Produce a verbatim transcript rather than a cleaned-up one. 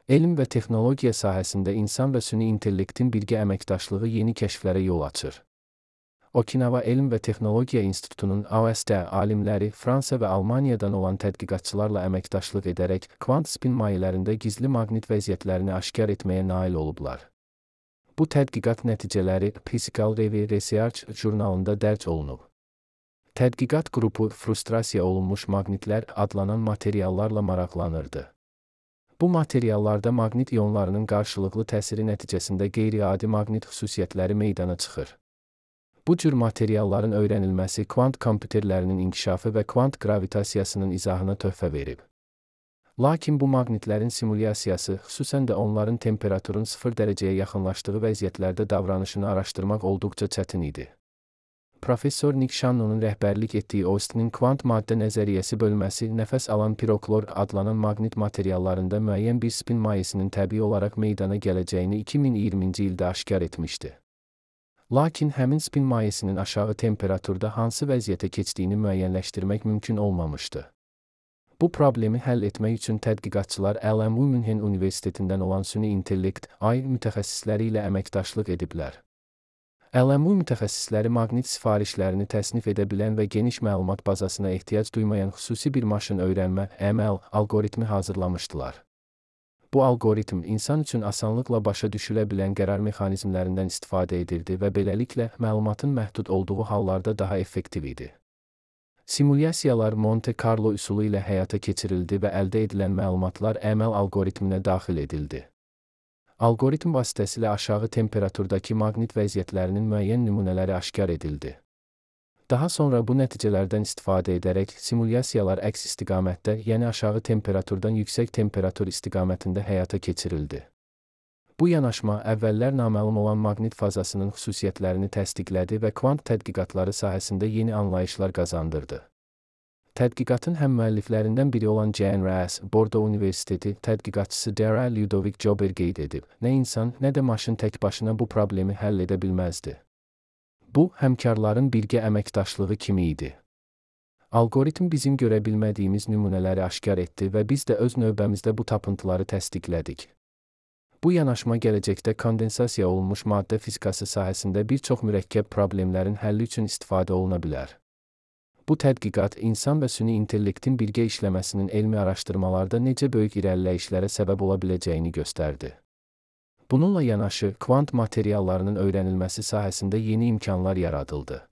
Elm və texnologiya sahəsində insan və süni intellektin birgə əməkdaşlığı yeni kəşflərə yol açır. Okinawa Elm və Texnologiya İnstitutunun A O S-də alimləri Fransa və Almaniyadan olan tədqiqatçılarla əməkdaşlıq edərək kvant spin mayelərində gizli maqnit vəziyyətlərini aşkar etməyə nail olublar. Bu tədqiqat nəticələri Physical Review Research jurnalında dərc olunub. Tədqiqat qrupu frustrasiya olunmuş maqnitlər adlanan materiallarla maraqlanırdı. Bu materiallarda maqnit ionlarının qarşılıqlı təsiri nəticəsində qeyri-adi maqnit xüsusiyyətləri meydana çıxır. Bu cür materialların öyrənilməsi kvant kompüterlərinin inkişafı və kvant gravitasiyasının izahına töhfə verib. Lakin bu maqnitlərin simulyasiyası, xüsusən də onların temperaturun sıfır dərəcəyə yaxınlaşdığı vəziyyətlərdə davranışını araşdırmaq olduqca çətin idi. Professor Nick Shannonun rəhbərlik etdiyi Austin'in kvant maddə nəzəriyyəsi bölməsi nəfəs alan piroklor adlanan maqnit materiallarında müəyyən bir spin mayesinin təbii olaraq meydana gələcəyini iki min iyirminci ildə aşkar etmişdi. Lakin həmin spin mayesinin aşağı temperaturda hansı vəziyyətə keçdiyini müəyyənləşdirmək mümkün olmamışdı. Bu problemi həll etmək üçün tədqiqatçılar L M U Münhen Universitetindən olan süni intellekt A I mütəxəssisləri ilə əməkdaşlıq ediblər. L M U mütəxəssisləri maqnit sifarişlərini təsnif edə bilən və geniş məlumat bazasına ehtiyac duymayan xüsusi bir maşın öyrənmə M L algoritmi hazırlamışdılar. Bu algoritm insan üçün asanlıqla başa düşülə bilən qərar mexanizmlərindən istifadə edirdi və beləliklə məlumatın məhdud olduğu hallarda daha effektiv idi. Simulyasiyalar Monte Carlo üsulu ilə həyata keçirildi və əldə edilən məlumatlar M L algoritminə daxil edildi. Algoritm vasitəsilə aşağı temperaturdakı maqnit vəziyyətlərinin müəyyən nümunələri aşkar edildi. Daha sonra bu nəticələrdən istifadə edərək simulyasiyalar əks istiqamətdə, yəni aşağı temperaturdan yüksək temperatur istiqamətində həyata keçirildi. Bu yanaşma əvvəllər naməlum olan maqnit fazasının xüsusiyyətlərini təsdiqlədi və kvant tədqiqatları sahəsində yeni anlayışlar qazandırdı. Tədqiqatın həmmüəlliflərindən biri olan Jane Ras, Bordo Universiteti tədqiqatçısı Dara Ludovic Jober qeyd edib, nə insan, nə də maşın tək başına bu problemi həll edə bilməzdi. Bu, həmkarların birgə əməkdaşlığı kimi idi. Algoritm bizim görə bilmədiyimiz nümunələri aşkar etdi və biz də öz növbəmizdə bu tapıntıları təsdiqlədik. Bu yanaşma gələcəkdə kondensasiya olunmuş maddə fizikası sahəsində bir çox mürəkkəb problemlərin həlli üçün istifadə oluna bilər. Bu tədqiqat insan və süni intellektin birgə işləməsinin elmi araşdırmalarda necə böyük irəliləyişlərə səbəb ola biləcəyini göstərdi. Bununla yanaşı, kvant materiallarının öyrənilməsi sahəsində yeni imkanlar yaradıldı.